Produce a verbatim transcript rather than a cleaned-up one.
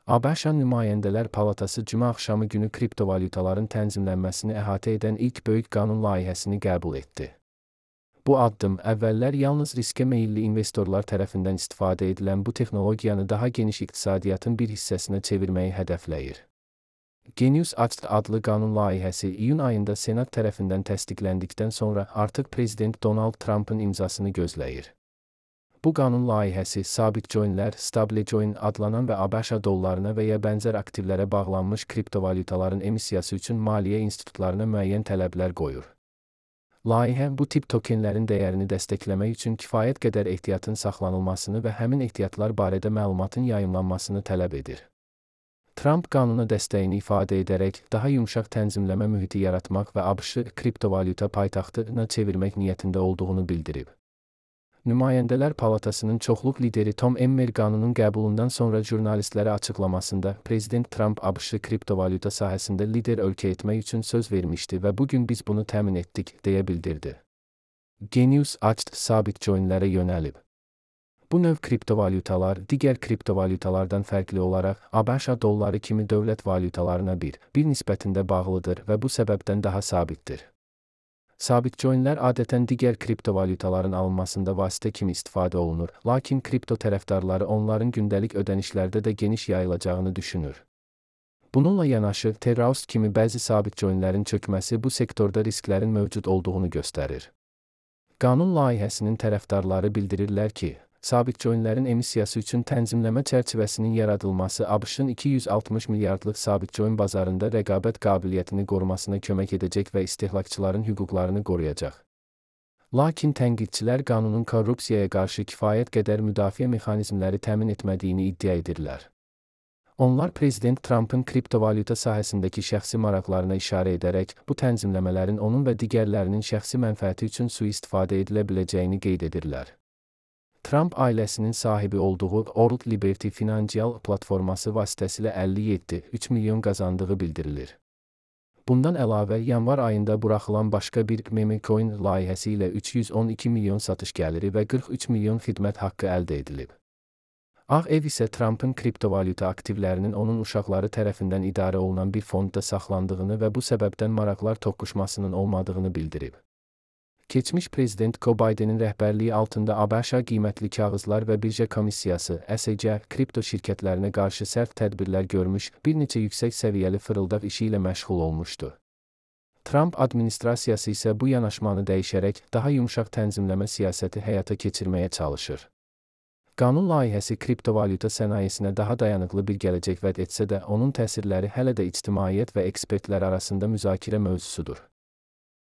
ABŞ Nümayəndələr Palatası cümə axşamı günü kriptovalyutaların tənzimlənməsini əhatə edən ilk böyük qanun layihəsini qəbul etdi. Bu addım əvvəllər yalnız riskə meyilli investorlar tərəfindən istifadə edilən bu texnologiyanı daha geniş iqtisadiyyatın bir hissəsinə çevirməyi hədəfləyir. Genius Act adlı qanun layihəsi iyun ayında Senat tərəfindən təsdiqləndikdən sonra artıq Prezident Donald Trumpın imzasını gözləyir. Bu qanun layihəsi sabit coinlər, stablecoin adlanan və ABŞ dollarına və ya bənzər aktivlərə bağlanmış kriptovalyutaların emissiyası üçün maliyyə institutlarına müəyyən tələblər qoyur. Layihə bu tip tokenlərin dəyərini dəstəkləmək üçün kifayət qədər ehtiyatın saxlanılmasını və həmin ehtiyatlar barədə məlumatın yayımlanmasını tələb edir. Trump qanuna dəstəyini ifadə edərək daha yumşaq tənzimləmə mühiti yaratmaq və ABŞ-ı kriptovalyuta paytaxtına çevirmək niyyətində olduğunu bildirib. Nümayəndələr Palatasının çoxluq lideri Tom Emmer qanunun qəbulundan sonra jurnalistlərə açıqlamasında Prezident Trump ABŞ-ı kriptovalyuta sahəsində lider ölkə etmək üçün söz vermişdi və bugün biz bunu təmin etdik, deyə bildirdi. Genius Act sabit coinlərə yönəlib. Bu növ kriptovalyutalar digər kriptovalyutalardan fərqli olaraq ABŞ dolları kimi dövlət valyutalarına bir, bir nisbətində bağlıdır və bu səbəbdən daha sabitdir. Sabit coinlər adətən digər kriptovalyutaların alınmasında vasitə kimi istifadə olunur, lakin kripto tərəfdarları onların gündəlik ödənişlərdə də geniş yayılacağını düşünür. Bununla yanaşı, Terraust kimi bəzi sabit coinlərin çökməsi bu sektorda risklərin mövcud olduğunu göstərir. Qanun layihəsinin tərəfdarları bildirirlər ki, sabit coinlərin emissiyası üçün tənzimləmə çərçivəsinin yaradılması ABŞ-ın iki yüz altmış milyardlıq sabit coin bazarında rəqabət qabiliyyətini qorumasına kömək edəcək və istehlakçıların hüquqlarını qoruyacaq. Lakin tənqidçilər qanunun korrupsiyaya qarşı kifayət qədər müdafiə mexanizmləri təmin etmədiyini iddia edirlər. Onlar Prezident Trumpın kriptovalyuta sahəsindəki şəxsi maraqlarına işarə edərək, bu tənzimləmələrin onun və digərlərinin şəxsi mənfəəti üçün sui-istifadə edilə biləcəyini qeyd edirlər. Trump ailəsinin sahibi olduğu World Liberty Financial platforması vasitəsilə əlli yeddi nöqtə üç milyon qazandığı bildirilir. Bundan əlavə, yanvar ayında buraxılan başqa bir memecoin layihəsi ilə üç yüz on iki milyon satış gəliri və qırx üç milyon xidmət haqqı əldə edilib. Ağ Ev isə Trumpın kriptovalyuta aktivlərinin onun uşaqları tərəfindən idarə olunan bir fondda saxlandığını və bu səbəbdən maraqlar toqquşmasının olmadığını bildirib. Keçmiş Prezident Joe Bidenin rəhbərliyi altında ABŞ qiymətli kağızlar və birja komissiyası S E C kripto şirkətlərinə qarşı sərt tədbirlər görmüş, bir neçə yüksək səviyyəli fırıldaq işi ilə məşğul olmuşdu. Trump administrasiyası isə bu yanaşmanı dəyişərək daha yumşaq tənzimləmə siyasəti həyata keçirməyə çalışır. Qanun layihəsi kriptovalyuta sənayesinə daha dayanıqlı bir gələcək vəd etsə də, onun təsirləri hələ də ictimaiyyət və ekspertlər arasında müzakirə mövzusudur.